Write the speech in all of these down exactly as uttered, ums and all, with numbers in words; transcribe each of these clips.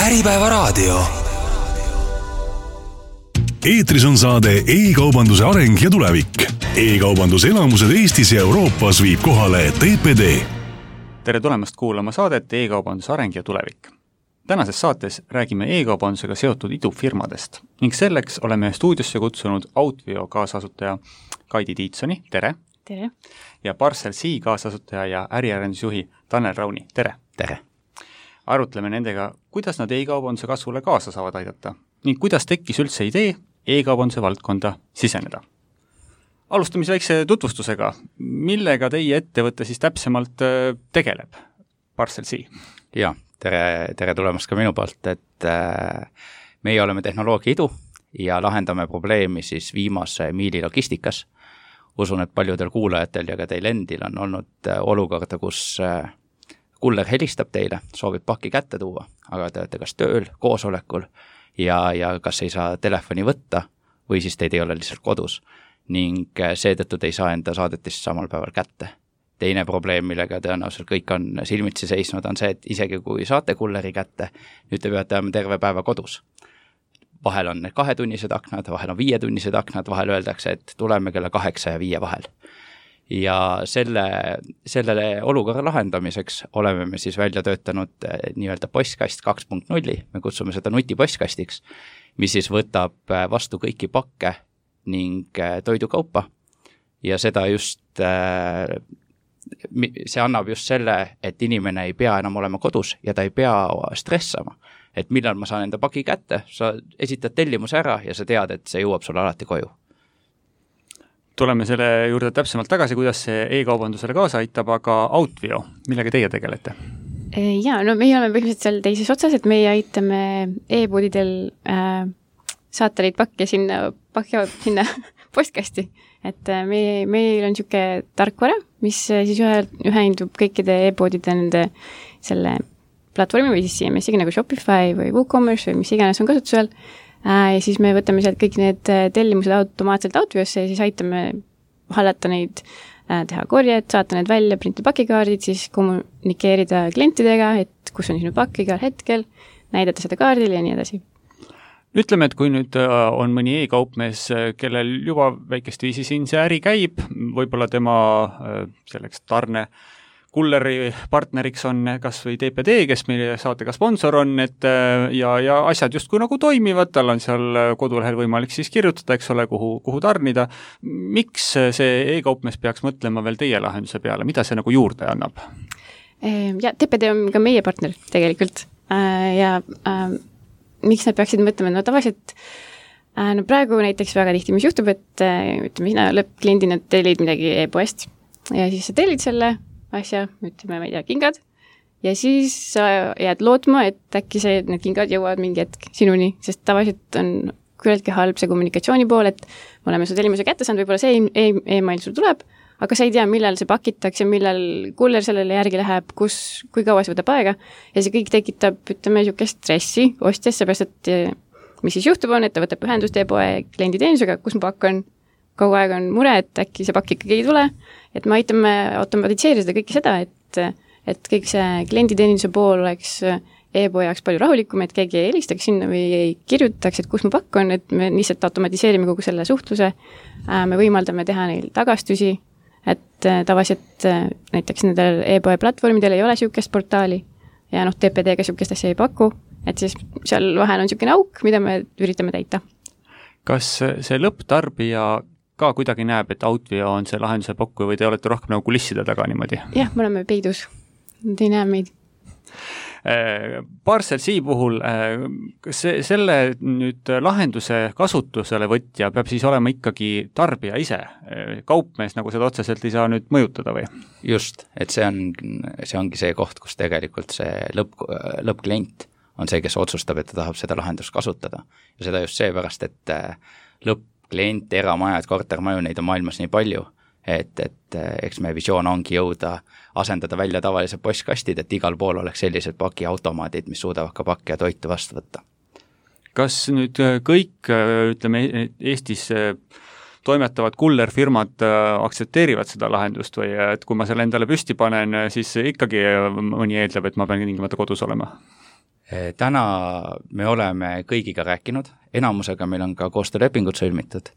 Äripäeva raadio. Eetris on saade e-kaubanduse areng ja tulevik. E-kaubanduse elamused Eestis ja Euroopas viib kohale T P D. Tere tulemast kuulama saadet E-kaubanduse areng ja tulevik. Tänases saates räägime e-kaubandusega seotud idufirmadest ning selleks oleme stuudiosse kutsunud Outveo kaasasutaja Kaidi Tiitsoni, tere! Tere! Ja ParcelC kaasasutaja ja äriarendusjuhi Tanel Rauni, tere! Tere! Arutleme nendega, kuidas nad e-kaubanduse kasvule kaasa saavad aidata ning kuidas tekkis üldse idee e-kaubanduse valdkonda siseneda. Alustame väikse tutvustusega. Millega teie ettevõte siis täpsemalt tegeleb? ParcelC. Ja, tere, tere tulemast ka minu poolt, et äh, meie oleme tehnoloogia idu ja lahendame probleemi siis viimase miili logistikas. Usun, et paljudel kuulajatel ja ka teil endil on olnud olukorda, kus äh, kuller helistab teile, soovib pakki kätte tuua, aga te olete kas tööl, koosolekul ja, ja kas ei saa telefoni võtta või siis teid ei ole lihtsalt kodus ning seetõttu te ei saa enda saadetist samal päeval kätte. Teine probleem, millega tõenäoliselt kõik on silmitsi seisnud, on see, et isegi kui saate kulleri kätte, nüüd te peate olema terve päeva kodus. Vahel on need kahetunnised aknad, vahel on viietunnised aknad, vahel öeldakse, et tuleme kella kaheksa ja viie vahel. Ja selle, sellele olukorra lahendamiseks oleme me siis välja töötanud nii-öelda postkast kaks punkt null, me kutsume seda nutipostkastix, mis siis võtab vastu kõiki pakke ning toidukaupa ja seda just, see annab just selle, et inimene ei pea enam olema kodus ja ta ei pea stressama, et millal ma saan enda paki kätte, sa esitad tellimuse ära ja sa tead, et see jõuab sulle alati koju. Tuleme selle juurde täpsemalt tagasi, kuidas see e-kaubandusele kaasa aitab, aga Outveo, millega teie tegelete? Ja, no meie oleme põhimõtteliselt seal teises otsas, et meie aitame e-poodidel äh, saata neid pakke sinna, pakke, sinna postkasti. Et äh, meie, meil on niisugune tarkvara, mis siis ühe, ühendub kõikide e-poodide nende selle platvormi või siis C M S-iga nagu Shopify või WooCommerce või mis iganes on kasutusel. Ja siis me võtame sealt kõik need tellimused automaatselt Outveosse ja siis aitame hallata neid, teha korjed, saata need välja, printida pakikaardid, siis kommunikeerida klientidega, et kus on sinu pakk igal hetkel, näidata seda kaardil ja nii edasi. Ütleme, et kui nüüd on mõni e-kaupmees, kellel juba väikest viisi siin see äri käib, võib-olla tema selleks tarne kulleri partneriks on kas või T P D, kes meie saatega sponsor on, et ja, ja asjad justkui nagu toimivad, tal on seal kodulehel võimalik siis kirjutada, eks ole, kuhu, kuhu tarnida. Miks see e-kaupmees peaks mõtlema veel teie lahenduse peale? Mida see nagu juurde annab? Ja T P D on ka meie partner tegelikult ja äh, miks nad peaksid mõtlema? No tavaliselt äh, no praegu näiteks väga tihti, mis juhtub, et äh, ütleme, sina lõppkliendina tellid midagi e-poest ja siis sa tellid selle asja, ütleme, ma ei tea, kingad, ja siis sa jääd lootma, et äkki see, need kingad jõuavad mingi hetk sinuni, sest tavaliselt on küllaltki halb see kommunikatsiooni pool, et me oleme su tellimuse kätte saanud, võib-olla see e-mail sul tuleb, aga sa ei tea, millal see pakitakse, millal kuller sellele järgi läheb, kus, kui kaua see võtab aega, ja see kõik tekitab, ütleme, niisugust stressi ostjas, seepärast, et mis siis juhtub on, et ta võtab ühendust e-poe klienditeenusega, kus mu pakk on, kogu aeg on mure, et äkki see pakk ikkagi ei tule, et me aitame automatiseerida kõike seda, et, et kõik see klienditeeninduse pool oleks e-poe jaoks palju rahulikum, et keegi ei helistaks sinna või ei kirjutaks, et kus mu pakk on, et me lihtsalt automatiseerime kogu selle suhtluse, me võimaldame teha neil tagastusi, et tavaliselt näiteks nendel e-poe platvormidel ei ole niisugust portaali ja noh, T P D-ga niisugust asja ei paku, et siis seal vahel on niisugune auk, mida me üritame täita. Kas see lõpptarbija ka kuidagi näeb, et Outveo on see lahenduse pakkuja või te olete rohkem nagu kulisside taga niimoodi? Jah, me oleme peidus. Nad ei näe meid. ParcelC puhul, kas selle nüüd lahenduse kasutusele võtja peab siis olema ikkagi tarbija ise? Kaupmees nagu seda otseselt ei saa nüüd mõjutada või? Just, et see, on, see ongi see koht, kus tegelikult see lõpp, lõppklient on see, kes otsustab, et ta tahab seda lahendust kasutada. Ja seda just seepärast, et lõppklient, eramajad, kortermaju, neid on maailmas nii palju, et, et eks meie visioon ongi jõuda asendada välja tavalised postkastid, et igal pool oleks sellised pakiautomaadid, mis suudavad ka pakki ja toitu vastu võtta. Kas nüüd kõik, ütleme, Eestis toimetavad kullerfirmad aktsepteerivad seda lahendust või et kui ma selle endale püsti panen, siis ikkagi mõni eeldab, et ma pean tingimata kodus olema? Täna me oleme kõigiga rääkinud, enamusega meil on ka koostöölepingud sõlmitud,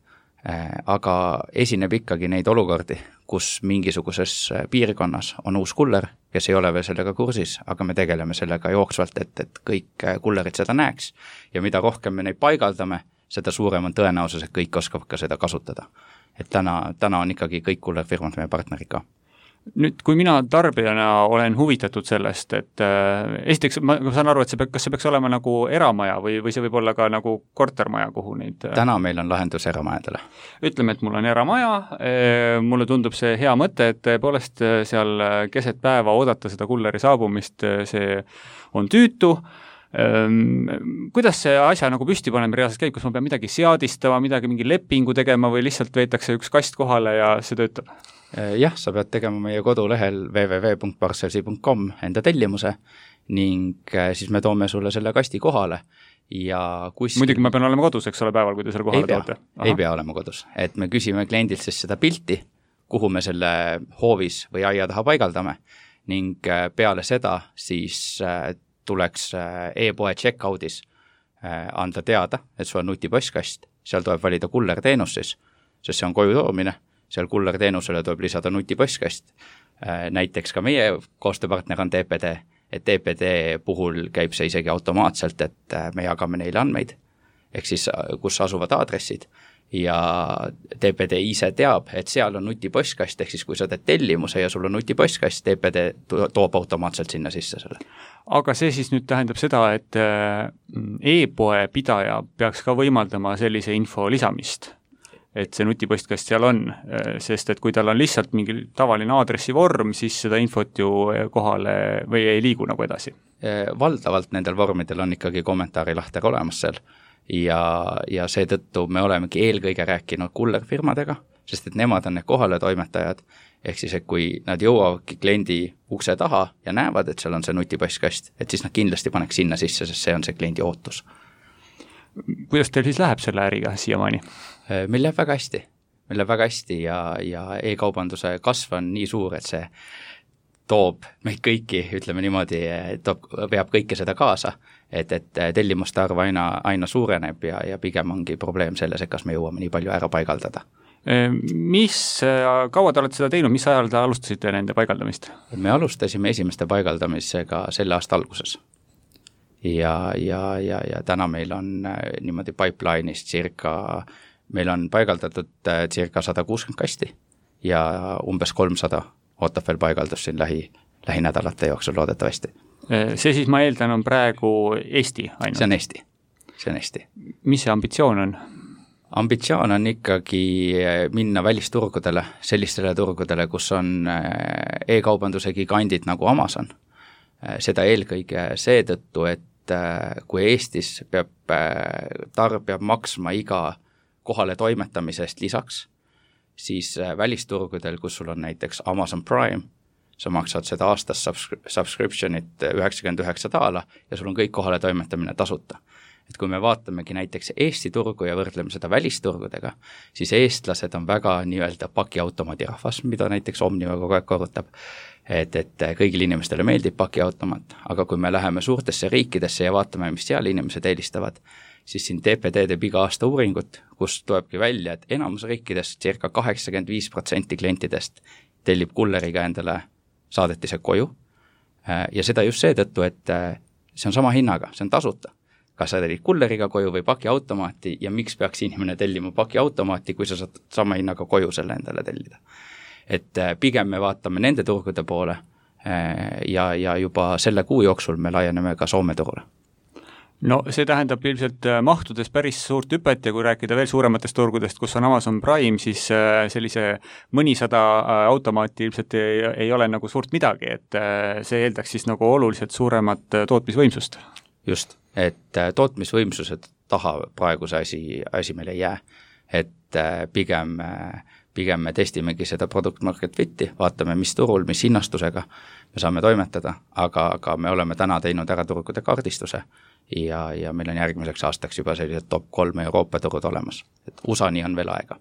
aga esineb ikkagi neid olukordi, kus mingisuguses piirkonnas on uus kuller, kes ei ole veel sellega kursis, aga me tegeleme sellega jooksvalt, et, et kõik kullerid seda näeks ja mida rohkem me neid paigaldame, seda suurem on tõenäosus, et kõik oskavad ka seda kasutada. Et täna, täna on ikkagi kõik kullerfirmad meie partnerid ka. Nüüd, kui mina tarbijana olen huvitatud sellest, et äh, esiteks ma saan aru, et see peab, kas see peaks olema nagu eramaja või, või see võib olla ka nagu kortermaja, kuhu neid äh... täna meil on lahendus eramajadele. Ütleme, et mul on eramaja, äh, mulle tundub see hea mõte, et tõepoolest seal keset päeva oodata seda kulleri saabumist, see on tüütu. Ähm, kuidas see asja nagu püsti paneme reaalselt käib, kas ma pean midagi seadistama, midagi mingi lepingu tegema või lihtsalt veetakse üks kast kohale ja see töötab? Jah, sa pead tegema meie kodulehel w w w punkt parcelsi punkt com enda tellimuse ning siis me toome sulle selle kasti kohale ja kuskil... Muidugi ma pean olema kodus, eks ole, päeval, kui te selle kohale ei pea, toote? Ei pea olema kodus, et me küsime kliendilt siis seda pilti, kuhu me selle hoovis või aia taha paigaldame ning peale seda siis tuleks e-poe checkout'is anda teada, et sul on nutipõstkast, seal tuleb valida kullerteenus siis, sest see on koju toomine, seal kullerteenusele tuleb lisada nutipõstkast. Näiteks ka meie koostööpartner on T P D, et T P D puhul käib see isegi automaatselt, et me jagame neile andmeid, ehk siis kus asuvad aadressid ja T P D ise teab, et seal on nutipõstkast, ehk siis kui sa teed tellimuse ja sul on nutipõstkast, T P D toob automaatselt sinna sisse selle. Aga see siis nüüd tähendab seda, et e-poe pidaja peaks ka võimaldama sellise info lisamist, et see nutipõstkast seal on, sest et kui tal on lihtsalt mingi tavaline aadressivorm, siis seda infot ju kohale või ei liigu nagu edasi. Valdavalt nendel vormidel on ikkagi kommentaarilahter olemas seal ja, ja seetõttu me olemegi eelkõige rääkinud kullerfirmadega, sest et nemad on need kohale toimetajad, ehk siis, et kui nad jõuavadki kliendi ukse taha ja näevad, et seal on see nutipõstkast, et siis nad kindlasti paneks sinna sisse, sest see on see kliendi ootus. Kuidas teil siis läheb selle äriga siiamaani? Meil läheb väga hästi, meil läheb väga hästi ja, ja e-kaubanduse kasv on nii suur, et see toob meid kõiki, ütleme niimoodi, toob, peab kõike seda kaasa, et, et tellimuste arv aina, aina suureneb ja, ja pigem ongi probleem selles, et kas me jõuame nii palju ära paigaldada. Mis, kaua te olete seda teinud, mis ajal te alustasite nende paigaldamist? Me alustasime esimeste paigaldamisega selle aasta alguses. Ja, ja, ja, ja täna meil on niimoodi pipeline'is circa, meil on paigaldatud circa sada kuuskümmend kasti ja umbes kolmsada ootab veel paigaldus siin lähi, lähinädalate jooksul loodetavasti. See siis ma eeldan on praegu Eesti ainult? See on Eesti, see on Eesti. Mis see ambitsioon on? Ambitsioon on ikkagi minna välisturgudele, sellistele turgudele, kus on e-kaubanduse gigandid nagu Amazon. Seda eelkõige seetõttu, et kui Eestis peab, tarb peab maksma iga kohale toimetamisest lisaks, siis välisturgudel, kus sul on näiteks Amazon Prime, sa maksad seda aastas subscriptionit üheksakümmend üheksa daala ja sul on kõik kohale toimetamine tasuta. Et kui me vaatamegi näiteks Eesti turgu ja võrdleme seda välisturgudega, siis eestlased on väga nii-öelda pakiautomaadi rahvas, mida näiteks Omniva kogu aeg korrutab, et, et kõigil inimestele meeldib pakiautomaat, aga kui me läheme suurtesse riikidesse ja vaatame, mis seal inimesed eelistavad, siis siin T P D teeb iga aasta uuringut, kus tulebki välja, et enamus riikidest circa kaheksakümmend viis protsenti klientidest tellib kulleriga endale saadetised koju ja seda just seetõttu, et see on sama hinnaga, see on tasuta. Kas sa tellid kulleriga koju või pakiautomaati ja miks peaks inimene tellima pakiautomaati, kui sa saad sama hinnaga koju selle endale tellida. Et pigem me vaatame nende turgude poole ja, ja juba selle kuu jooksul me laieneme ka Soome turule. No see tähendab ilmselt mahtudes päris suurt hüpet ja kui rääkida veel suurematest turgudest, kus on Amazon Prime, siis sellise mõnisada automaati ilmselt ei, ei ole nagu suurt midagi, et see eeldaks siis nagu oluliselt suuremat tootmisvõimsust. Just, et tootmisvõimsused taha praegu see asi, asi meil ei jää, et pigem, pigem me testimegi seda product market fit'i, vaatame mis turul, mis hinnastusega me saame toimetada, aga, aga me oleme täna teinud ära turgude kaardistuse ja, ja meil on järgmiseks aastaks juba sellised top kolm Euroopa turud olemas, et U S A-ni on veel aega.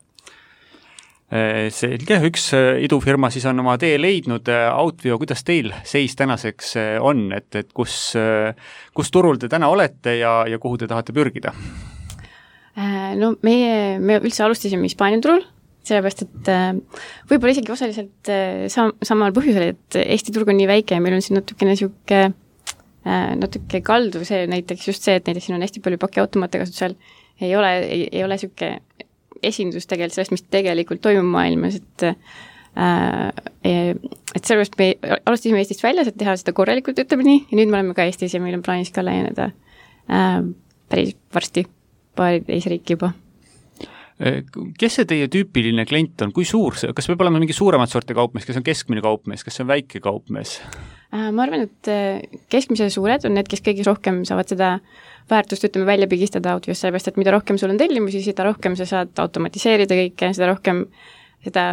Selge, üks idufirma siis on oma tee leidnud, Outveo, kuidas teil seis tänaseks on, et, et kus, kus turul te täna olete ja, ja kuhu te tahate pürgida? No meie, me üldse alustasime Hispaania turul, sellepärast, et võib-olla isegi osaliselt sam- samal põhjusel, et Eesti turg on nii väike ja meil on siin natukene sihuke, natuke kalduv see näiteks just see, et näiteks siin on hästi palju pakiautomaate kasutusel, ei ole, ei, ei ole sihuke esindus tegelikult sellest, mis tegelikult toimub maailmas, et äh, et sellepärast me alustasime Eestist väljas, et teha seda korralikult, ütleme nii, ja nüüd me oleme ka Eestis ja meil on plaanis ka laieneda äh, päris varsti paari teise riiki juba. Kes see teie tüüpiline klient on, kui suur see, kas peab olema mingi suuremat sorti kaupmees, kes on keskmine kaupmees, kas see on väike kaupmees? Äh, ma arvan, et keskmise suured on need, kes kõige rohkem saavad seda väärtust, ütleme, välja pigistada Outviost, sellepärast, et mida rohkem sul on tellimusi, seda rohkem sa saad automatiseerida kõike, seda rohkem, seda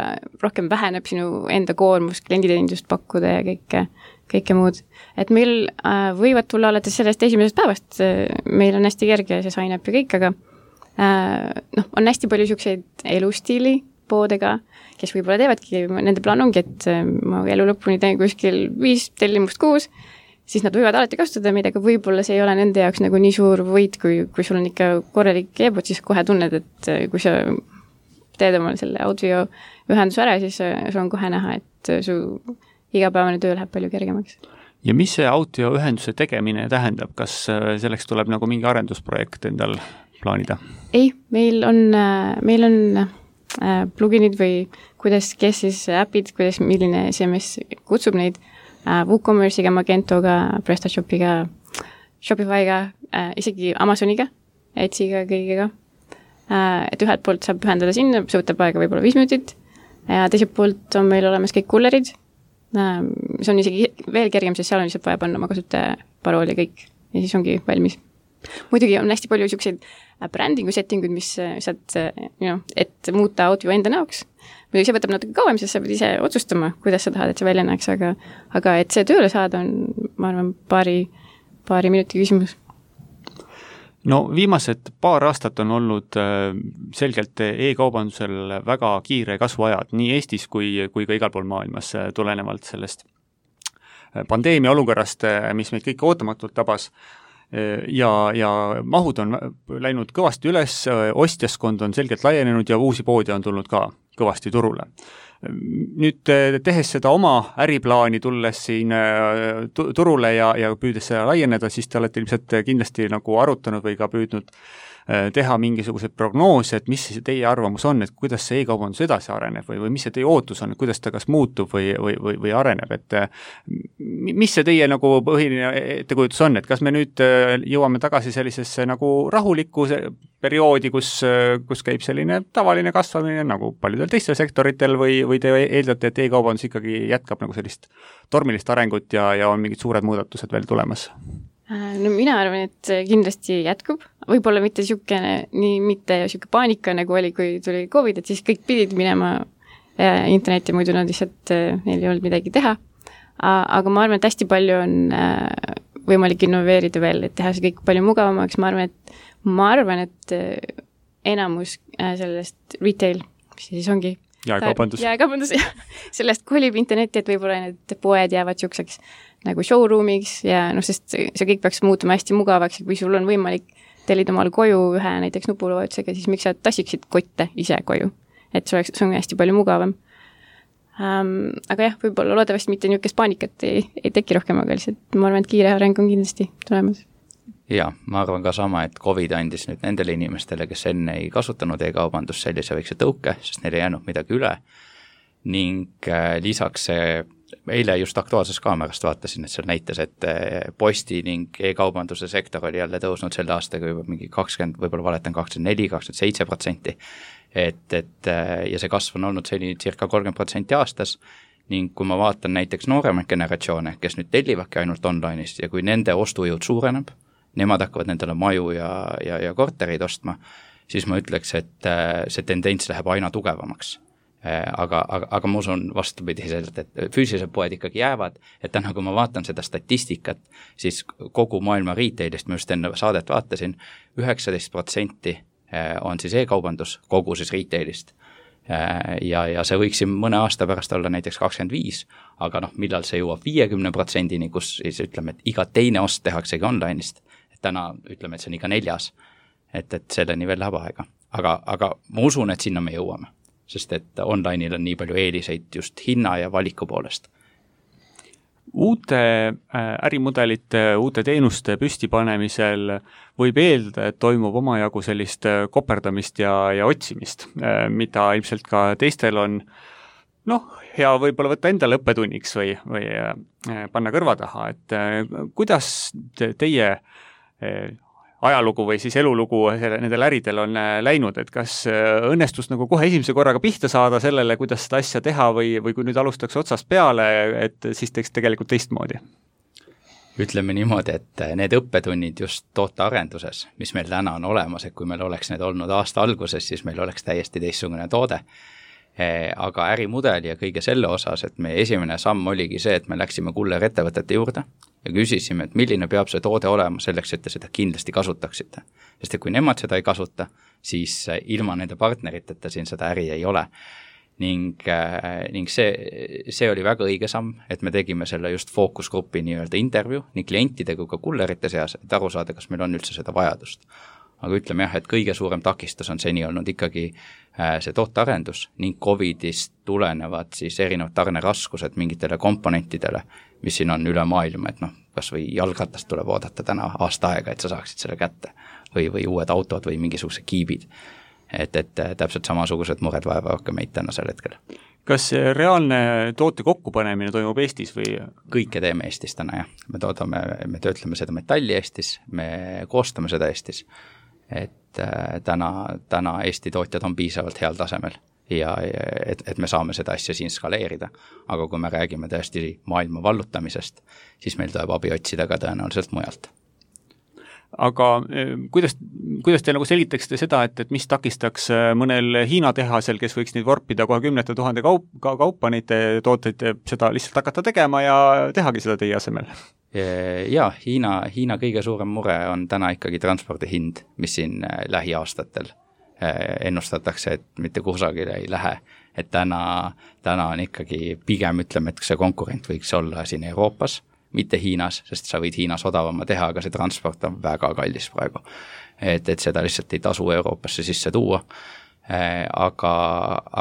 rohkem väheneb sinu enda koormus, klienditeenindust pakkuda ja kõike, kõike muud. Et meil äh, võivad tulla alates sellest esimesest päevast, meil on hästi kerge see sign up ja kõik, aga äh, noh, on hästi palju niisuguseid elustiili poodega, kes võib-olla teevadki, nende plaan ongi, et ma elu lõpuni teen kuskil viis tellimust kuus, siis nad võivad alati kasutada meid, aga võib-olla see ei ole nende jaoks nagu nii suur võit, kui, kui sul on ikka korralik e-bot, siis kohe tunned, et kui sa teed omal selle Outveo ühenduse ära, siis sul on kohe näha, et su igapäevane töö läheb palju kergemaks. Ja mis see Outveo ühenduse tegemine tähendab? Kas selleks tuleb nagu mingi arendusprojekt endal plaanida? Ei, meil on, meil on pluginid või kuidas, kes siis äpid, kuidas, milline C M S kutsub neid, WooCommerce'iga, Magentoga, PrestaShopiga, Shopify'ga, äh, isegi Amazoniga, Etsy'ga, kõigega. Äh, et ühelt poolt saab ühendada sinna, see võtab aega võib-olla viis minutit, ja teiselt poolt on meil olemas kõik kullerid. Äh, see on isegi veel kergem, sest seal on lihtsalt vaja panna oma kasutaja parool ja kõik, ja siis ongi valmis. Muidugi on hästi palju niisuguseid brändingu settinguid, mis saad, you know, et muuta Outveo enda näoks. Muidugi see võtab natuke kauem, sest sa pead ise otsustama, kuidas sa tahad, et see välja näeks, aga, aga et see tööle saada on, ma arvan, paari, paari minuti küsimus. No viimased paar aastat on olnud selgelt e-kaubandusel väga kiire kasvuajad, nii Eestis kui, kui ka igal pool maailmas tulenevalt sellest pandeemia olukorrast, mis meid kõike ootamatult tabas. Ja, ja mahud on läinud kõvasti üles, ostjaskond on selgelt laienenud ja uusi poodi on tulnud ka kõvasti turule. Nüüd tehes seda oma äriplaani, tulles siin turule ja, ja püüdes seda laieneda, siis te olete ilmselt kindlasti nagu arutanud või ka püüdnud teha mingisuguseid prognoose, et mis see teie arvamus on, et kuidas see e-kaubandus edasi areneb või, või mis see teie ootus on, kuidas ta kas muutub või, või, või, või areneb, et mis see teie nagu põhiline ettekujutus on, et kas me nüüd jõuame tagasi sellisesse nagu rahulikku perioodi, kus, kus käib selline tavaline kasvamine nagu paljudel teistel sektoritel või, või te eeldate, et e-kaubandus ikkagi jätkab nagu sellist tormilist arengut ja, ja on mingid suured muudatused veel tulemas? No mina arvan, et kindlasti jätkub, võib-olla mitte niisugune, nii mitte niisugune paanika, nagu oli, kui tuli COVID, et siis kõik pidid minema internetti, muidu nad lihtsalt, neil ei olnud midagi teha. Aga ma arvan, et hästi palju on võimalik innoveerida veel, et teha see kõik palju mugavamaks, ma arvan, et ma arvan, et enamus sellest retail, mis siis ongi jaekaubandus, jaekaubandus sellest kolib internetti, et võib-olla need poed jäävad siukseks nagu showroomiks ja noh, sest see kõik peaks muutuma hästi mugavaks ja kui sul on võimalik tellida omal koju ühe näiteks nupuloetusega, siis miks sa tassiksid kotte ise koju, et see oleks, see on hästi palju mugavam. Um, aga jah, võib-olla loodavasti mitte niisugust paanikat ei, ei teki rohkem, aga lihtsalt ma arvan, et kiire areng on kindlasti tulemas. Ja, ma arvan ka sama, et COVID andis nüüd nendele inimestele, kes enne ei kasutanud e-kaubandust sellise väikse tõuke, sest neil ei jäänud midagi üle ning äh, lisaks see, eile just Aktuaalsest Kaamerast vaatasin, et seal näitas, et posti ning e-kaubanduse sektor oli jälle tõusnud selle aastaga juba mingi kakskümmend, võib-olla valetan kakskümmend neli, kakskümmend seitse protsenti, et, et ja see kasv on olnud selline circa kolmkümmend protsenti aastas ning kui ma vaatan näiteks nooremaid generatsioone, kes nüüd tellivadki ainult online'ist ja kui nende ostujõud suureneb, nemad hakkavad nendele maju ja, ja, ja korterid ostma, siis ma ütleks, et see tendents läheb aina tugevamaks. Aga, aga, aga ma usun vastupidiselt, et füüsilised poed ikkagi jäävad, et täna, kui ma vaatan seda statistikat, siis kogu maailma retailist, ma just enne saadet vaatasin, üheksateist protsenti on siis e-kaubandus kogu siis retailist. ja, ja see võiks siin mõne aasta pärast olla näiteks kakskümmend viis, aga noh, millal see jõuab viiekümne protsendini, kus siis ütleme, et iga teine ost tehaksegi online'ist, et täna ütleme, et see on iga neljas, et, et selleni veel läheb aega. Aga, aga ma usun, et sinna me jõuame, sest et online'il on nii palju eeliseid just hinna ja valiku poolest. Uute ärimudelite, uute teenuste püstipanemisel võib eeldada, et toimub omajagu sellist koperdamist ja, ja otsimist, mida ilmselt ka teistel on noh, hea võib-olla võtta endale õppetunniks või, või panna kõrva taha, et kuidas teie ajalugu või siis elulugu selle, nendel äridel on läinud, et kas õnnestus nagu kohe esimese korraga pihta saada sellele, kuidas seda asja teha või, või kui nüüd alustaks otsast peale, et siis teeks tegelikult teistmoodi? Ütleme niimoodi, et need õppetunnid just tootearenduses, mis meil täna on olemas, et kui meil oleks need olnud aasta alguses, siis meil oleks täiesti teistsugune toode. Aga ärimudeli ja kõige selle osas, et meie esimene samm oligi see, et me läksime kullerettevõtete juurde ja küsisime, et milline peab see toode olema selleks, et te seda kindlasti kasutaksite. Sest et kui nemad seda ei kasuta, siis ilma nende partneriteta siin seda äri ei ole. Ning, ning see, see oli väga õige samm, et me tegime selle just fookusgrupi nii-öelda intervjuu nii klientide kui ka kullerite seas, et aru saada, kas meil on üldse seda vajadust. Aga ütleme jah, et kõige suurem takistus on seni olnud ikkagi see tootearendus ning Covidist tulenevad siis erinevad tarneraskused mingitele komponentidele, mis siin on üle maailma, et noh, kas või jalgratast tuleb oodata täna aasta aega, et sa saaksid selle kätte või, või uued autod või mingisugused kiibid. Et, et täpselt samasugused mured vaevavad ka meid tänasel hetkel. Kas reaalne toote kokkupanemine toimub Eestis või? Kõike teeme Eestis täna, jah. Me toodame, me töötleme seda metalli Eestis, me koostame seda Eestis. Et täna, täna Eesti tootjad on piisavalt heal tasemel ja et, et me saame seda asja siin skaleerida. Aga kui me räägime tõesti maailma vallutamisest, siis meil tuleb abi otsida ka tõenäoliselt mujalt. Aga kuidas, kuidas te nagu selitaksite seda, et, et mis takistaks mõnel Hiina tehasel, kes võiks neid vorpida kohe kümnete tuhande kaup, ka kaupa neid tooteid, seda lihtsalt hakata tegema ja tehagi seda teie asemel? Ja, Hiina, Hiina kõige suurem mure on täna ikkagi transpordi hind, mis siin lähiaastatel ennustatakse, et mitte kusagile ei lähe. Et täna, täna on ikkagi pigem ütleme, et see konkurent võiks olla siin Euroopas, mitte Hiinas, sest sa võid Hiinas odavama teha, aga see transport on väga kallis praegu. Et, et seda lihtsalt ei tasu Euroopasse sisse tuua. Aga,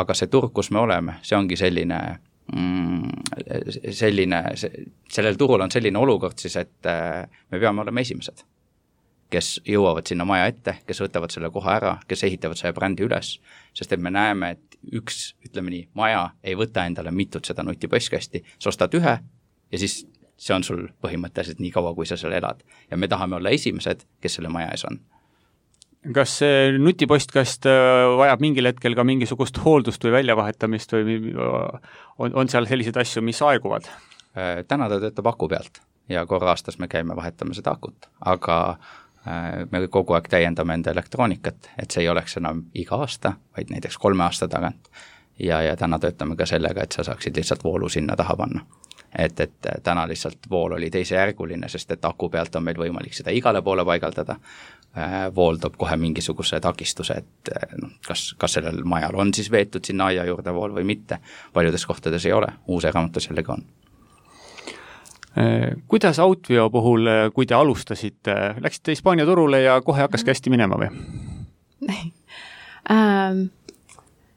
aga see turg, kus me oleme, see ongi selline selline, sellel turul on selline olukord siis, et me peame olema esimesed, kes jõuavad sinna maja ette, kes võtavad selle koha ära, kes ehitavad selle brändi üles, sest et me näeme, et üks, ütleme nii, maja ei võta endale mitut seda nutipostkasti, sa ostad ühe ja siis see on sul põhimõtteliselt nii kaua, kui sa seal elad. Ja me tahame olla esimesed, kes selle maja ees on. Kas see nutipostkast vajab mingil hetkel ka mingisugust hooldust või väljavahetamist või on, on seal selliseid asju, mis aeguvad? Täna ta töötab aku pealt ja korra aastas me käime vahetame seda akut, aga me kogu aeg täiendame enda elektroonikat, et see ei oleks enam iga aasta, vaid näiteks kolme aasta tagant. Ja, ja täna töötame ka sellega, et sa saaksid lihtsalt voolu sinna taha panna. Et, et täna lihtsalt vool oli teisejärguline, sest et aku pealt on meil võimalik seda igale poole paigaldada. Vool toob kohe mingisuguse takistuse, et no, kas, kas sellel majal on siis veetud sinna aia juurde vool või mitte. Paljudes kohtades ei ole, uus eramutus jällegi on. Kuidas Outveo puhul, kui te alustasite, läksite Hispaania turule ja kohe hakkaski hästi minema või? ähm,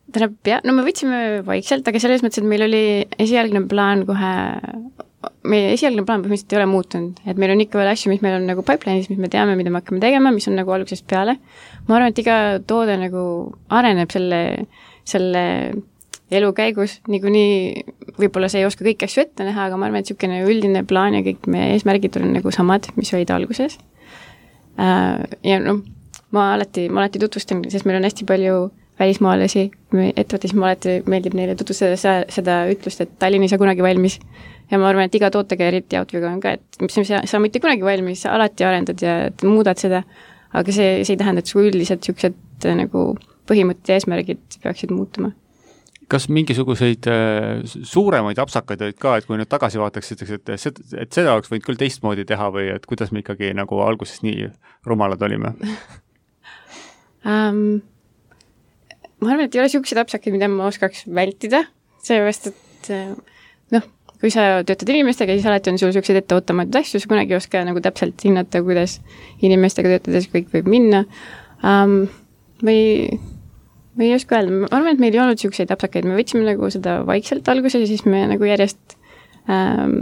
tähendab, jah, no me võtsime vaikselt, aga selles mõttes, et meil oli esialgne plaan kohe, meie esialgne plaan põhimõtteliselt ei ole muutunud, et meil on ikka veel asju, mis meil on nagu pipeline'is, mis me teame, mida me hakkame tegema, mis on nagu algusest peale. Ma arvan, et iga toode nagu areneb selle, selle elu käigus, niikuinii võib-olla see ei oska kõik asju ette näha, aga ma arvan, et niisugune üldine plaan ja kõik meie eesmärgid on nagu samad, mis olid alguses. Ja no, ma alati, ma alati tutvustan, sest meil on hästi palju välismaalasi, ettevõttes ma alati meeldib neile tutvustada seda ütlust, et Tallinn ei saa kunagi valmis. Ja ma arvan, et iga tootega eriti Outvega on ka, et mis sa, sa mitte kunagi valmis, sa alati arendad ja muudad seda, aga see, see ei tähenda, et su üldiselt niisugused nagu põhimõtted ja eesmärgid peaksid muutuma. Kas mingisuguseid äh, suuremaid apsakaid olid ka, et kui nüüd tagasi vaataks, et, et, et seda oleks võinud küll teistmoodi teha või et kuidas me ikkagi nagu alguses nii rumalad olime? um, ma arvan, et ei ole siukseid apsakaid, mida ma oskaks vältida, seepärast, et noh, kui sa töötad inimestega, siis alati on sul siukseid etteootamatud asju, sa kunagi ei oska nagu täpselt hinnata, kuidas inimestega töötades kõik võib minna. Um, või, või ei oska öelda, ma arvan, et meil ei olnud siukseid apsakaid, me võtsime nagu seda vaikselt alguses ja siis me nagu järjest um,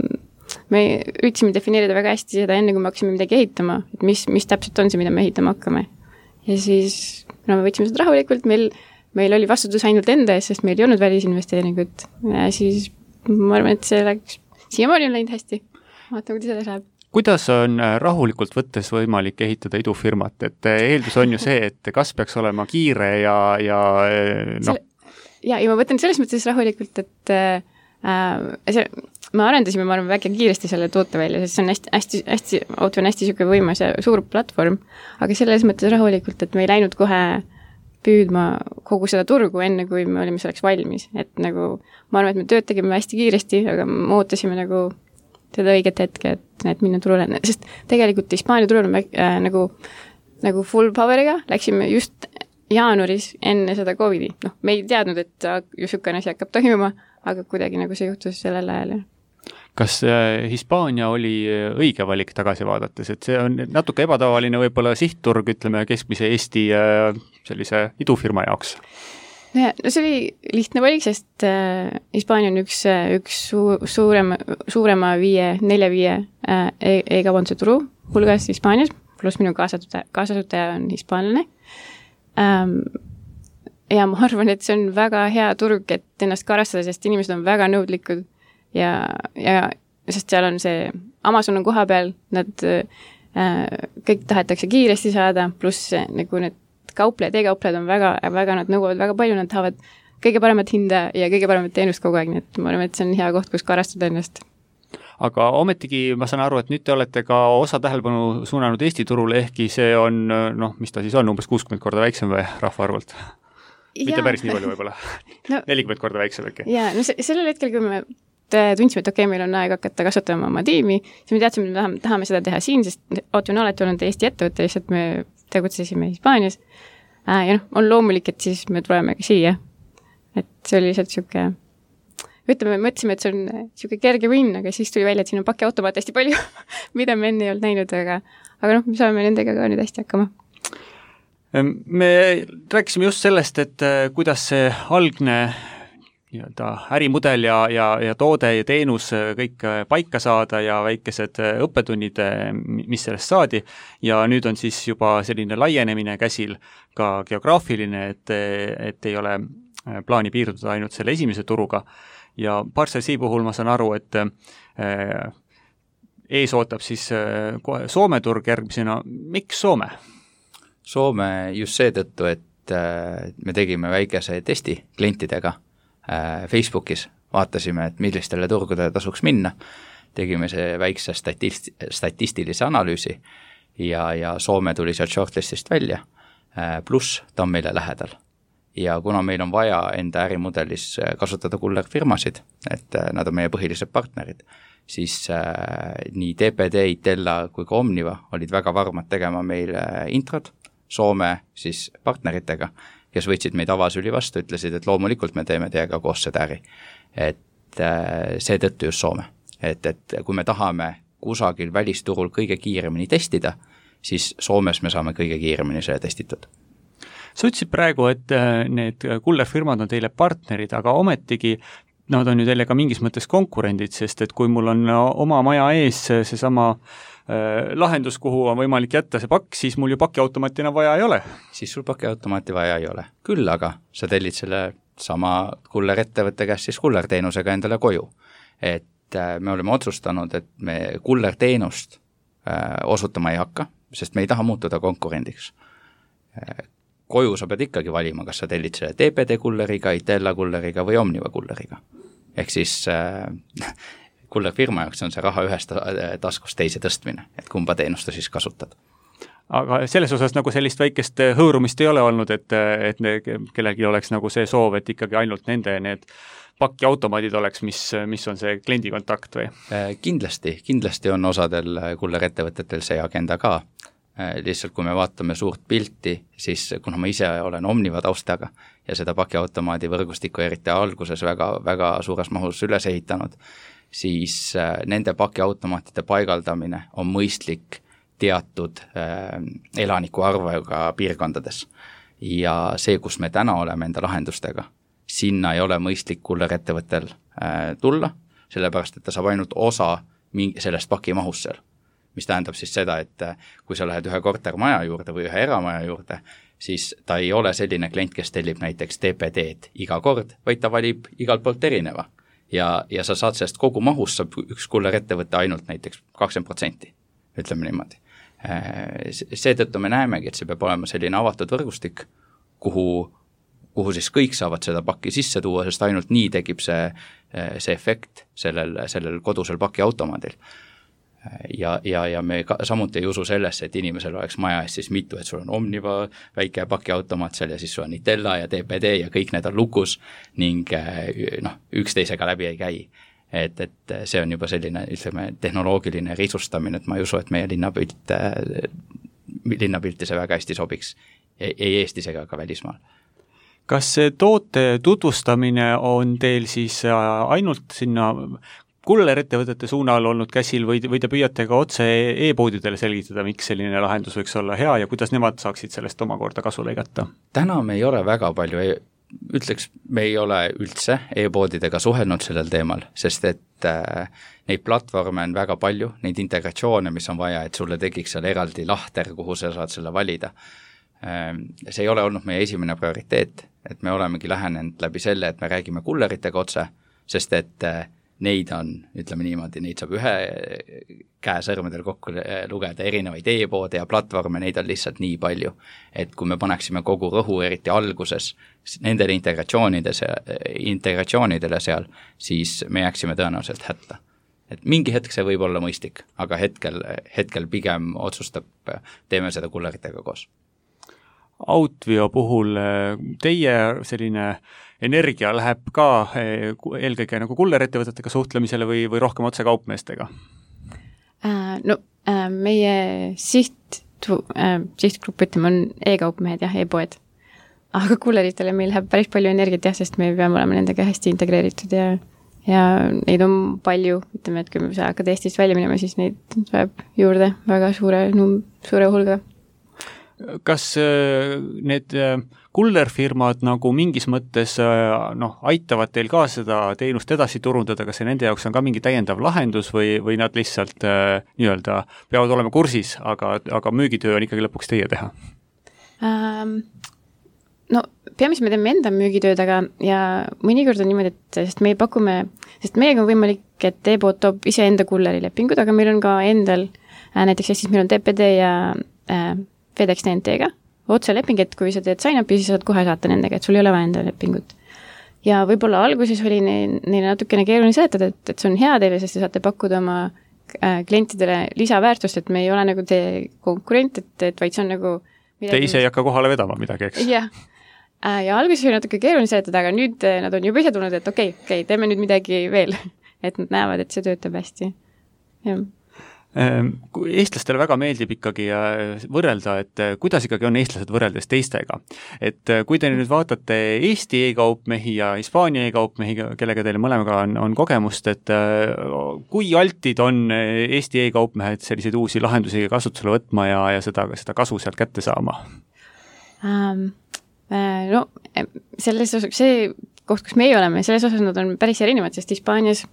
me üritasime defineerida väga hästi seda enne, kui me hakkasime midagi ehitama, et mis, mis täpselt on see, mida me ehitama hakkame. Ja siis no, me võtsime seda rahulikult, meil, meil oli vastutus ainult enda ees, sest meil ei olnud välisinvesteeringut. Ja siis ma arvan, et see läks, siiamaani on läinud hästi. Vaatame, kuidas selles läheb. Kuidas on rahulikult võttes võimalik ehitada idufirmat? Et eeldus on ju see, et kas peaks olema kiire ja, ja noh. Ja, ja ma võtan selles mõttes rahulikult, et äh, see me arendasime, ma arvan, väga kiiresti selle toote välja, sest see on hästi, hästi, hästi, auto on hästi siuke võimas ja suur platvorm, aga selles mõttes rahulikult, et me ei läinud kohe püüdma kogu seda turgu enne, kui me olime selleks valmis. Et nagu, ma arvan, et me tööd tegime hästi kiiresti, aga me ootasime nagu seda õiget hetke, et, et minna turule, sest tegelikult Hispaania turul me äh, nagu, nagu full power'iga läksime just jaanuaris enne seda Covidi. Noh, me ei teadnud, et ju siukene asi hakkab toimuma, aga kuidagi nagu see juhtus sellel ajal. Kas Hispaania oli õige valik tagasi vaadates, et see on natuke ebatavaline võib-olla sihtturg, ütleme keskmise Eesti sellise idufirma jaoks? No, no see oli lihtne valik, sest äh, Hispaania on üks, üks su- suurema, suurema viie, nelja viie äh, e-kaubanduse turu hulgas Hispaanias, pluss minu kaasasutaja, kaasasutaja on hispaanlane. Ähm, ja ma arvan, et see on väga hea turg, et ennast karastada, sest inimesed on väga nõudlikud. Ja, ja sest seal on see, Amazon on koha peal, nad äh, kõik tahetakse kiiresti saada, pluss nagu need kauplejad, e-kauplejad on väga, väga, nad nõuavad väga palju, nad tahavad kõige paremat hinda ja kõige paremat teenust kogu aeg, nii et ma arvan, et see on hea koht, kus karastada ennast. Aga ometigi ma saan aru, et nüüd te olete ka osa tähelepanu suunanud Eesti turule, ehkki see on, noh, mis ta siis on, umbes kuuskümmend korda väiksem või rahvaarvult? Mitte päris nii palju võib-olla. No, nelikümmend korda väiksem äkki. Jaa, no se- sellel hetkel, kui me tundsime, et okei, okay, meil on aeg hakata kasvatama oma tiimi, siis me teadsime, et me tahame, tahame seda teha siin, sest Auto on alati olnud Eesti ettevõtte, lihtsalt me tegutsesime Hispaanias. Äh, ja noh, on loomulik, et siis me tuleme ka siia. Et see oli lihtsalt siuke, ütleme, me mõtlesime, et see on siuke kerge win, aga siis tuli välja, et siin on pakiautomaat hästi palju, mida me enne ei olnud näinud, aga, aga noh, me saame nendega ka nüüd hästi hakkama. Me rääkisime just sellest, et kuidas see algne nii-öelda ärimudel ja, ja, ja toode ja teenus kõik paika saada ja väikesed õppetunnid, mis sellest saadi. Ja nüüd on siis juba selline laienemine käsil, ka geograafiline, et, et ei ole plaani piirduda ainult selle esimese turuga. Ja Parcelsi puhul ma saan aru, et ees ootab siis Soome turg järgmisena. Miks Soome? Soome just seetõttu, et me tegime väikese testi klientidega Facebookis, vaatasime, et millistele turgudele tasuks minna, tegime see väikse statist- statistilise analüüsi ja, ja Soome tuli sealt shortlistist välja, pluss ta on meile lähedal. Ja kuna meil on vaja enda ärimudelis kasutada kullerfirmasid, et nad on meie põhilised partnerid, siis äh, nii D P D, Itella kui ka Omniva olid väga varmad tegema meil introd Soome siis partneritega, kes võtsid meid avasüli vastu, ütlesid, et loomulikult me teeme teiega koos seda äri. Et äh, seetõttu just Soome. Et, et kui me tahame kusagil välisturul kõige kiiremini testida, siis Soomes me saame kõige kiiremini selle testitud. Sa ütlesid praegu, et need kullerfirmad on teile partnerid, aga ometigi nad on ju teile ka mingis mõttes konkurendid, sest et kui mul on oma maja ees seesama äh, lahendus, kuhu on võimalik jätta see pakk, siis mul ju pakiautomaatina vaja ei ole. Siis sul pakiautomaati vaja ei ole. Küll aga sa tellid selle sama kullerettevõtte käest siis kullerteenusega endale koju. Et äh, me oleme otsustanud, et me kullerteenust äh, osutama ei hakka, sest me ei taha muutuda konkurendiks. Äh, koju sa pead ikkagi valima, kas sa tellid selle D P D kulleriga, Itella kulleriga või Omniva kulleriga. Ehk siis äh, kullerfirma jaoks on see raha ühest taskust teise tõstmine, et kumba teenusta siis kasutad. Aga selles osas nagu sellist väikest hõõrumist ei ole olnud, et, et ne, kellelgi oleks nagu see soov, et ikkagi ainult nende need pakiautomaadid oleks, mis, mis on see kliendi kontakt või? Kindlasti, kindlasti on osadel kullerettevõtetel see agenda ka. lihtsalt kui me vaatame suurt pilti, siis kuna ma ise olen Omniva taustaga ja seda pakiautomaadi võrgustikku eriti alguses väga, väga suures mahus üles ehitanud, siis nende pakiautomaatide paigaldamine on mõistlik teatud äh, elaniku arvuga piirkondades. Ja see, kus me täna oleme enda lahendustega, sinna ei ole mõistlik kullerettevõttel äh, tulla, sellepärast, et ta saab ainult osa mingi, sellest pakimahust seal. Mis tähendab siis seda, et kui sa lähed ühe kortermaja juurde või ühe eramaja juurde, siis ta ei ole selline klient, kes tellib näiteks T P D-d iga kord, vaid ta valib igalt poolt erineva. Ja, ja sa saad sellest kogu mahust, saab üks kullerettevõte ainult näiteks kakskümmend protsenti, ütleme niimoodi. Seetõttu me näemegi, et see peab olema selline avatud võrgustik, kuhu, kuhu siis kõik saavad seda pakki sisse tuua, sest ainult nii tekib see, see efekt sellel, sellel kodusel pakiautomaadil. Ja, ja, ja me ka, samuti ei usu sellesse, et inimesel oleks maja ees siis mitu, et sul on Omniva väike pakiautomaat seal ja siis sul on Itella ja T P D ja kõik need on lukus ning noh, üksteisega läbi ei käi. Et, et see on juba selline, ütleme, tehnoloogiline risustamine, et ma ei usu, et meie linnapilt, linnapilti see väga hästi sobiks ei, ei Eestis ega ka välismaal. Kas see toote tutvustamine on teil siis ainult sinna kullerettevõtete suunal olnud käsil või, või te püüate ka otse e-poodidele selgitada, miks selline lahendus võiks olla hea ja kuidas nemad saaksid sellest omakorda kasu lõigata? Täna me ei ole väga palju, e ütleks, me ei ole üldse e-poodidega suhelnud sellel teemal, sest et äh, neid platvorme on väga palju, neid integratsioone, mis on vaja, et sulle tekiks seal eraldi lahter, kuhu sa saad selle valida. Äh, see ei ole olnud meie esimene prioriteet, et me olemegi lähenenud läbi selle, et me räägime kulleritega otse, sest et äh, neid on, ütleme niimoodi, neid saab ühe käe sõrmedel kokku lugeda erinevaid e-poode ja platvorme, neid on lihtsalt nii palju, et kui me paneksime kogu rõhu eriti alguses nendele integratsioonidele seal, siis me jääksime tõenäoliselt hätta. Et mingi hetk see võib olla mõistlik, aga hetkel, hetkel pigem otsustab, teeme seda kulleritega koos. Outvio puhul teie selline energia läheb ka eelkõige nagu kullerettevõtetega suhtlemisele või, või rohkem otse kaupmeestega? No meie siht, sihtgrupp, ütleme, on e-kaupmehed ja e-poed. Aga kulleritele meil läheb päris palju energiat jah, sest me peame olema nendega hästi integreeritud ja, ja neid on palju, ütleme, et kui me hakkad Eestist välja minema, siis neid tuleb juurde väga suure, suure hulga. Kas need kullerfirmad nagu mingis mõttes noh, aitavad teil ka seda teenust edasi turundada, kas see nende jaoks on ka mingi täiendav lahendus või, või nad lihtsalt nii-öelda peavad olema kursis, aga, aga müügitöö on ikkagi lõpuks teie teha? Ähm, no peamiselt me teeme enda müügitööd, aga ja mõnikord on niimoodi, et sest meie pakume, sest meiega on võimalik, et e-pood toob ise enda kullerilepingud, aga meil on ka endal, näiteks Eestis meil on T P D ja äh, FedEx T N T-ga otse leping, et kui sa teed sign-upi, siis saad kohe saata nendega, et sul ei ole vaja enda lepingut. Ja võib-olla alguses oli neile neil natukene keeruline seletada, et, et see on hea teile, sest te saate pakkuda oma äh, klientidele lisaväärtust, et me ei ole nagu teie konkurent, et, et vaid see on nagu midagi, te ise ei hakka kohale vedama midagi, eks? Jah. Äh, ja alguses oli natuke keeruline seletada, aga nüüd nad on juba ise tulnud, et okei, okay, okay, teeme nüüd midagi veel, et nad näevad, et see töötab hästi. Jah. Eestlastele väga meeldib ikkagi võrrelda, et kuidas ikkagi on eestlased võrreldes teistega. Et kui te nüüd vaatate Eesti e-kaupmehi ja Hispaania e-kaupmehi, kellega teile mõlemaga on, on kogemust, et kui altid on Eesti e-kaupmehed selliseid uusi lahendusi kasutusele võtma ja, ja seda, seda kasu sealt kätte saama? Um, no, selles osas, see koht, kus meie oleme, selles osas nad on päris erinevad, sest Hispaanias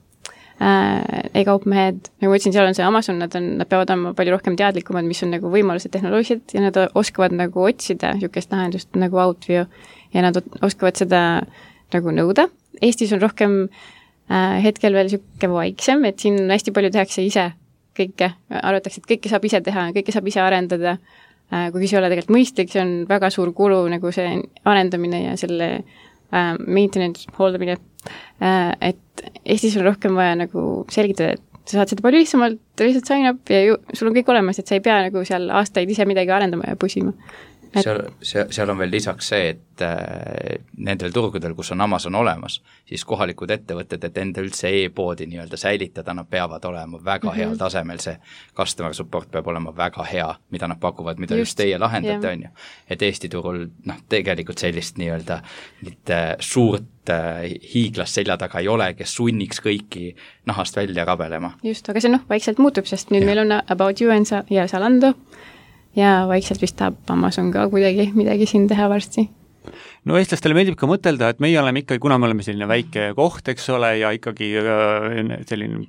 Äh, e-kaupmehed, nagu ma ütlesin, seal on see Amazon, nad, on, nad peavad olema palju rohkem teadlikumad, mis on nagu võimalused tehnoloogilised ja nad oskavad nagu otsida niisugust lahendust nagu Outvio ja nad oskavad seda nagu nõuda. Eestis on rohkem äh, hetkel veel niisugune vaiksem, et siin hästi palju tehakse ise kõike, arvatakse, et kõike saab ise teha, kõike saab ise arendada, äh, kuigi see ei ole tegelikult mõistlik, see on väga suur kulu nagu see arendamine ja selle äh, maintenance hooldamine, äh, et Eestis on rohkem vaja nagu selgitada, et sa saad seda palju lihtsamalt, lihtsalt sign up ja ju, sul on kõik olemas, et sa ei pea nagu seal aastaid ise midagi arendama ja pusima. seal, seal, seal on veel lisaks see, et äh, nendel turgudel, kus on Amazon olemas, siis kohalikud ettevõtted, et enda üldse e-poodi nii-öelda säilitada, nad peavad olema väga mm -hmm. heal tasemel, see customer support peab olema väga hea, mida nad pakuvad, mida just, just teie lahendate, on ju. Et Eesti turul, noh, tegelikult sellist nii-öelda mitte suurt äh, hiiglast selja taga ei ole, kes sunniks kõiki nahast välja rabelema. Just, aga see noh, vaikselt muutub, sest nüüd ja. meil on About You ja Zalando, ja vaikselt vist tahab Amazon ka kuidagi midagi siin teha varsti. No eestlastele meeldib ka mõtelda, et meie oleme ikkagi, kuna me oleme selline väike koht, eks ole, ja ikkagi selline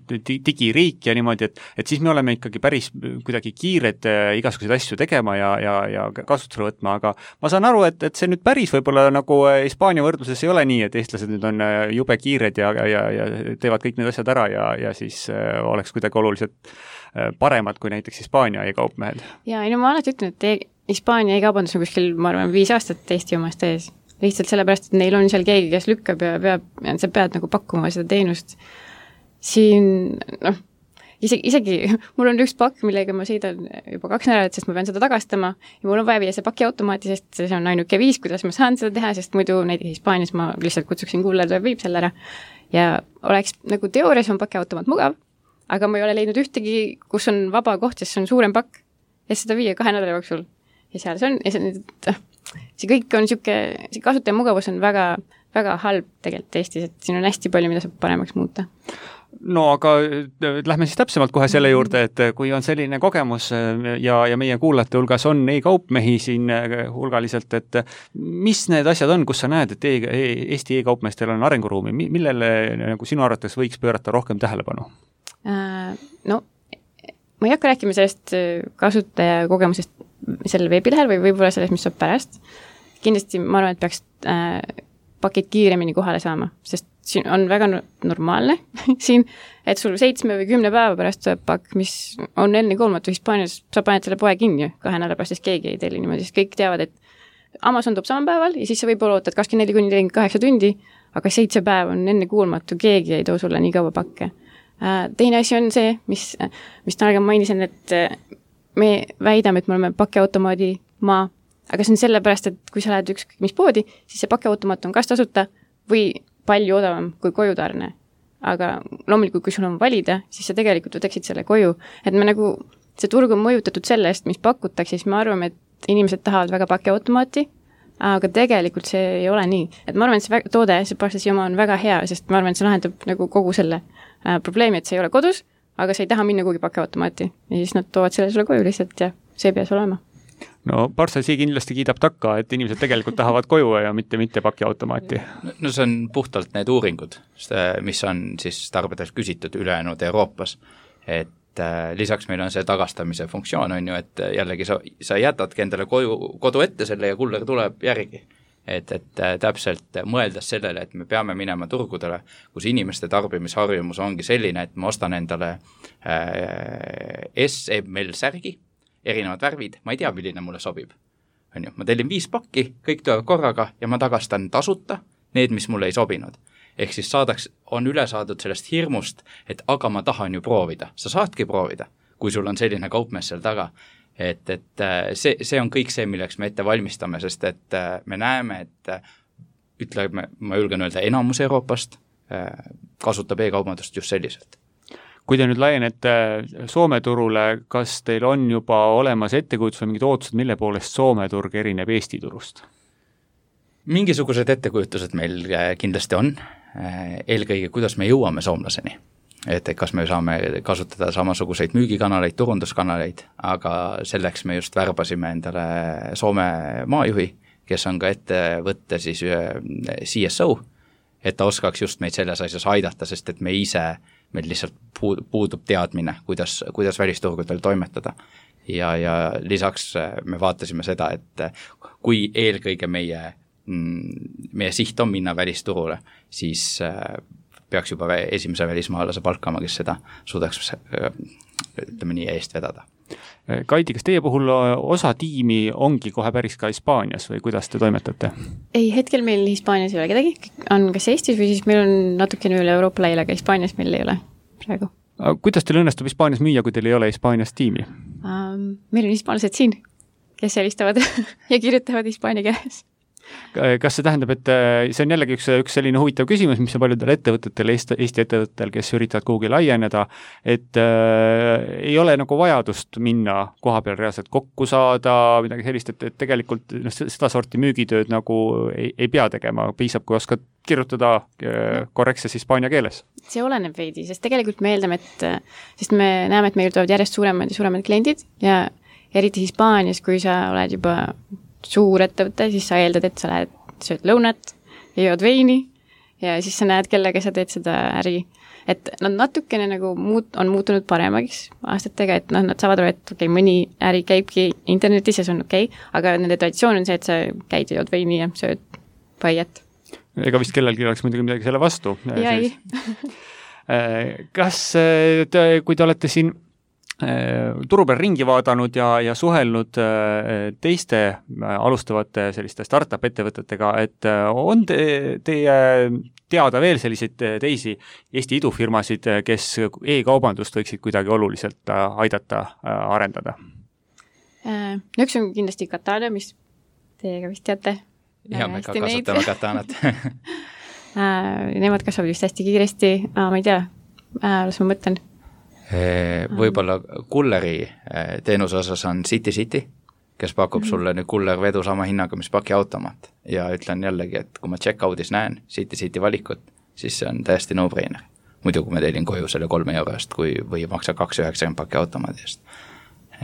digiriik ja niimoodi, et, et siis me oleme ikkagi päris kuidagi kiired igasuguseid asju tegema ja, ja, ja kasutusele võtma, aga ma saan aru, et, et see nüüd päris võib-olla nagu Hispaania võrdluses ei ole nii, et eestlased nüüd on jube kiired ja, ja, ja teevad kõik need asjad ära ja, ja siis oleks kuidagi oluliselt paremad kui näiteks Hispaania e-kaupmehed. Ja, ei no ma alati ütlen, et e Hispaania e-kaubandus on kuskil, ma arvan, viis aastat Eesti omast ees. Lihtsalt sellepärast, et neil on seal keegi, kes lükkab ja peab, ja sa pead nagu pakkuma seda teenust. Siin, noh, isegi, isegi mul on üks pakk, millega ma sõidan juba kaks nädalat, sest ma pean seda tagastama ja mul on vaja viia see paki automaati, sest see on ainuke viis, kuidas ma saan seda teha, sest muidu näiteks Hispaanias ma lihtsalt kutsuksin kuller, ta viib selle ära. Ja oleks nagu teoorias on paki automaat mugav, aga ma ei ole leidnud ühtegi, kus on vaba koht, sest see on suurem pakk ja seda viia kahe nädala jooksul. Ja seal see on, ja see, see kõik on siuke, see kasutaja mugavus on väga, väga halb tegelikult Eestis, et siin on hästi palju, mida saab paremaks muuta. No aga lähme siis täpsemalt kohe selle juurde, et kui on selline kogemus ja, ja meie kuulajate hulgas on e-kaupmehi siin hulgaliselt, et mis need asjad on, kus sa näed, et e Eesti e-kaupmeestel on arenguruumi, millele nagu sinu arvates võiks pöörata rohkem tähelepanu? No, ma ei hakka rääkima sellest kasutaja kogemusest sellel veebilehel või võib-olla sellest, mis saab pärast. Kindlasti ma arvan, et peaks äh, pakid kiiremini kohale saama, sest siin on väga normaalne siin, et sul seitsme või kümne päeva pärast tuleb pakk, mis on enne kuulmatu Hispaanias, sa paned selle poe kinni kahe nädala pärast, sest keegi ei telli niimoodi, sest kõik teavad, et Amazon toob samal päeval ja siis sa võib-olla ootad kakskümmend neli kuni nelikümmend kaheksa tundi, aga seitse päeva on enne kuulmatu, keegi ei too sulle nii kaua pakke. Äh, teine asi on see, mis, mis täna mainisin, et me väidame, et me oleme pakiautomaadi maa, aga see on sellepärast, et kui sa lähed ükskõik mis poodi, siis see pakiautomaat on kas tasuta või palju odavam kui kojutarne. Aga loomulikult, kui sul on valida, siis sa tegelikult võtaksid selle koju. Et me nagu, see turg on mõjutatud sellest, mis pakutakse, siis me arvame, et inimesed tahavad väga pakiautomaati, aga tegelikult see ei ole nii. Et ma arvan, et see toode, see pastasi oma on väga hea, sest ma arvan, et see lahendab nagu kogu selle äh, probleemi, et see ei ole kodus, aga sa ei taha minna kuhugi pakiautomaati ja siis nad toovad selle sulle koju lihtsalt ja see peas olema. No Parcel kindlasti kiidab takka, et inimesed tegelikult tahavad koju ja mitte, mitte pakiautomaati. No see on puhtalt need uuringud, mis on siis tarbedelt küsitud ülejäänud Euroopas, et äh, lisaks meil on see tagastamise funktsioon, on ju, et jällegi sa, sa jätadki endale koju, kodu ette selle ja kuller tuleb järgi. Et, et täpselt mõeldes sellele, et me peame minema turgudele, kus inimeste tarbimisharjumus ongi selline, et ma ostan endale äh, S M L särgi, erinevad värvid, ma ei tea, milline mulle sobib. On ju, ma tellin viis pakki, kõik tulevad korraga ja ma tagastan tasuta need, mis mulle ei sobinud. Ehk siis saadaks, on üle saadud sellest hirmust, et aga ma tahan ju proovida. Sa saadki proovida, kui sul on selline kaupmees seal taga. Et, et see, see on kõik see, milleks me ette valmistame, sest et me näeme, et ütleme, ma julgen öelda, enamus Euroopast kasutab e-kaubandust just selliselt. Kui te nüüd laienete Soome turule, kas teil on juba olemas ettekujutus või mingid ootused, mille poolest Soome turg erineb Eesti turust? Mingisugused ettekujutused meil kindlasti on, eelkõige kuidas me jõuame soomlaseni. Et kas me saame kasutada samasuguseid müügikanaleid, turunduskanaleid, aga selleks me just värbasime endale Soome maajuhi, kes on ka ettevõtte siis C S O, et ta oskaks just meid selles asjas aidata, sest et me ise, meil lihtsalt puudub teadmine, kuidas, kuidas välisturgudel toimetada. Ja, ja lisaks me vaatasime seda, et kui eelkõige meie, meie siht on minna välisturule, siis peaks juba esimese välismaalase palkama, kes seda suudaks, ütleme nii, eest vedada. Kaidi, kas teie puhul osa tiimi ongi kohe päris ka Hispaanias või kuidas te toimetate? Ei, hetkel meil Hispaanias ei ole kedagi, on kas Eestis või siis meil on natukene üle Euroopa laiali, aga Hispaanias meil ei ole praegu. Aga kuidas teil õnnestub Hispaanias müüa, kui teil ei ole Hispaanias tiimi? Um, meil on hispaanlased siin, kes helistavad ja kirjutavad hispaania keeles. Kas see tähendab, et see on jällegi üks, üks selline huvitav küsimus, mis on paljudel ettevõtetel, Eesti, Eesti ettevõtetel, kes üritavad kuhugi laieneda, et äh, ei ole nagu vajadust minna koha peal reaalselt kokku saada, midagi sellist, et, et tegelikult no, seda sorti müügitööd nagu ei, ei pea tegema, piisab, kui oskad kirjutada äh, korrektses hispaania keeles. See oleneb veidi, sest tegelikult me eeldame, et sest me näeme, et meil tulevad järjest suuremad ja suuremad kliendid ja eriti Hispaanias, kui sa oled juba suur ettevõte, siis sa eeldad, et sa lähed, sööd lõunat ja jood veini ja siis sa näed, kellega sa teed seda äri. Et nad natukene nagu muut, on muutunud paremaks aastatega, et noh, nad saavad aru, et okei, okay, mõni äri käibki internetis ja see on okei, okay, aga nende traditsioon on see, et sa käid ja jood veini ja sööd paiet. Ega vist kellelgi oleks muidugi midagi selle vastu. Ja ei. Kas te, kui te olete siin turu peal ringi vaadanud ja, ja suhelnud teiste alustavate selliste startup ettevõtetega, et on te, teie teada veel selliseid teisi Eesti idufirmasid, kes e-kaubandust võiksid kuidagi oluliselt aidata arendada? No üks on kindlasti Katana, mis teiega vist teate. Ja me ka kasutame Katanat. Nemad kasvavad vist hästi kiiresti, ma ei tea, las ma mõtlen. Võib-olla kulleri teenuse osas on City City, kes pakub mm-hmm. sulle nüüd kullervedu sama hinnaga, mis pakiautomaat. Ja ütlen jällegi, et kui ma check-out'is näen City City valikut, siis see on täiesti no-brainer. Muidu kui ma teelin koju selle kolme euro eest, kui, või maksa kaks üheksakümmend pakiautomaadi eest.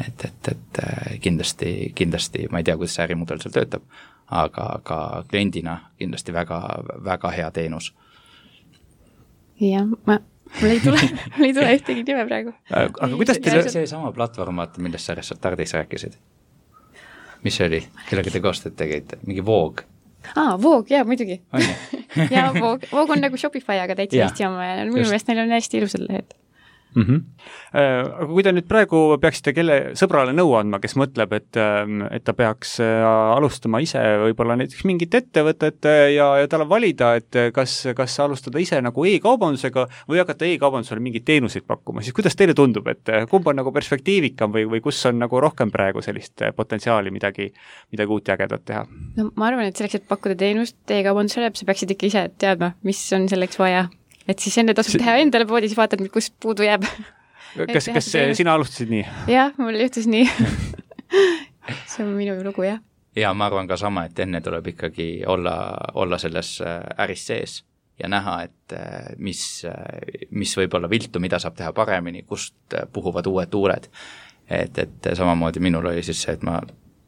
Et, et, et kindlasti, kindlasti, ma ei tea, kuidas see ärimudel seal töötab, aga, aga kliendina kindlasti väga, väga hea teenus. Ja, ma mul ei tule, mul ei tule ühtegi nime praegu. Aga kuidas teile... See sama platvorm, millest sa Restardis rääkisid? Mis see oli? Kellega te koostööd tegite? Mingi Voog? Aa, Voog, jaa, muidugi. ja Voog, Voog on nagu Shopify, aga täitsa Eesti oma ja minu meelest neil on hästi ilusad lehed. Mm-hmm. Aga kui te nüüd praegu peaksite kelle sõbrale nõu andma, kes mõtleb, et, et ta peaks alustama ise võib-olla näiteks mingit ettevõtet ja, ja tal on valida, et kas, kas alustada ise nagu e-kaubandusega või hakata e-kaubandusele mingeid teenuseid pakkuma, siis kuidas teile tundub, et kumb on nagu perspektiivikam või, või kus on nagu rohkem praegu sellist potentsiaali midagi, midagi uut ja ägedat teha? No ma arvan, et selleks, et pakkuda teenust e-kaubandusele, sa peaksid ikka ise teadma, mis on selleks vaja. Et siis enne tasub teha endale poodi, siis vaatad, kus puudu jääb. Kas, kas sina alustasid nii? Jah, mul juhtus nii. See on minu lugu, jah. Ja ma arvan ka sama, et enne tuleb ikkagi olla, olla selles äris sees ja näha, et mis, mis võib olla viltu, mida saab teha paremini, kust puhuvad uued tuuled. Et, et samamoodi minul oli siis see, et ma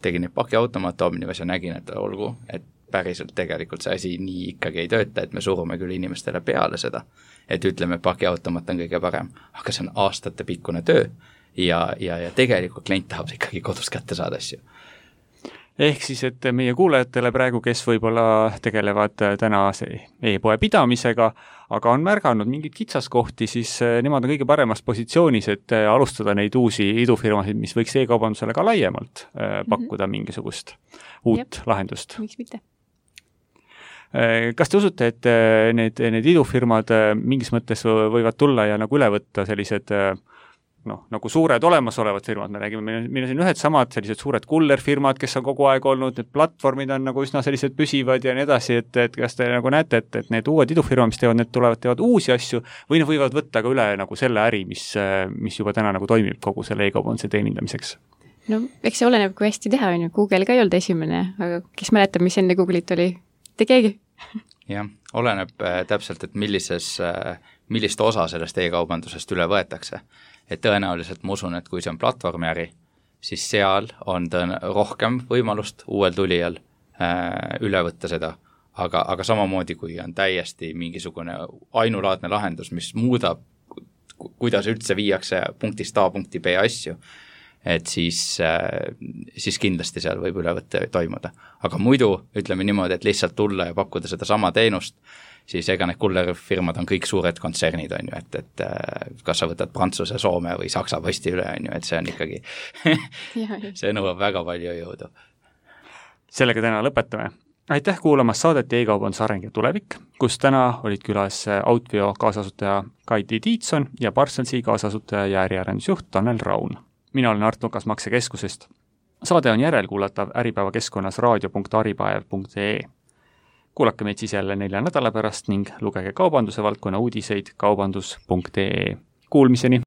tegin neid pakiautomaat Omnivas ja nägin, et olgu, et päriselt tegelikult see asi nii ikkagi ei tööta, et me surume küll inimestele peale seda, et ütleme, pakiautomaat on kõige parem, aga see on aastate pikkune töö ja, ja, ja tegelikult klient tahab ikkagi kodus kätte saada asju. Ehk siis, et meie kuulajatele praegu, kes võib-olla tegelevad täna e-poe pidamisega, aga on märganud mingid kitsaskohti, siis nemad on kõige paremas positsioonis, et alustada neid uusi idufirmasid, mis võiks e-kaubandusele ka laiemalt pakkuda mm-hmm. mingisugust uut Jep. lahendust. Miks mitte? Kas te usute, et need, need idufirmad mingis mõttes võivad tulla ja nagu üle võtta sellised noh, nagu suured olemasolevad firmad, me räägime, meil on siin ühed samad sellised suured kullerfirmad, kes on kogu aeg olnud, need platvormid on nagu üsna sellised püsivad ja nii edasi, et, et kas te nagu näete, et, et need uued idufirmad, mis teevad, need tulevad, teevad uusi asju või need võivad võtta ka üle nagu selle äri, mis, mis juba täna nagu toimib kogu selle e-kaubanduse teenindamiseks? No, eks see oleneb, kui hästi teha, on ju. Google ka ei olnud esimene, aga kes mäletab, mis enne Google'it oli? Te keegi? Jah, oleneb äh, täpselt, et millises, äh, millist osa sellest e-kaubandusest üle võetakse. Et tõenäoliselt ma usun, et kui see on platvormi äri, siis seal on tõen- rohkem võimalust uuel tulijal äh, üle võtta seda, aga, aga samamoodi kui on täiesti mingisugune ainulaadne lahendus, mis muudab, kuidas üldse viiakse punktist A punkti B asju, et siis, siis kindlasti seal võib ülevõtte toimuda. Aga muidu ütleme niimoodi, et lihtsalt tulla ja pakkuda seda sama teenust, siis ega need kullerfirmad on kõik suured kontsernid, on ju, et, et kas sa võtad Prantsuse, Soome või Saksa posti üle, on ju, et see on ikkagi, see nõuab väga palju jõudu. Sellega täna lõpetame. Aitäh kuulamas saadet e-kaubanduse areng ja tulevik, kus täna olid külas Outvio kaasasutaja Kaiti Tiitson ja Parsonsi kaasasutaja ja äriarendusjuht Tanel Raun. Mina olen Art Lukas Maksekeskusest. saade on järelkuulatav Äripäeva keskkonnas raadio punkt äripäev punkt ee. Kuulake meid siis jälle nelja nädala pärast ning lugege kaubanduse valdkonna uudiseid kaubandus punkt ee. Kuulmiseni!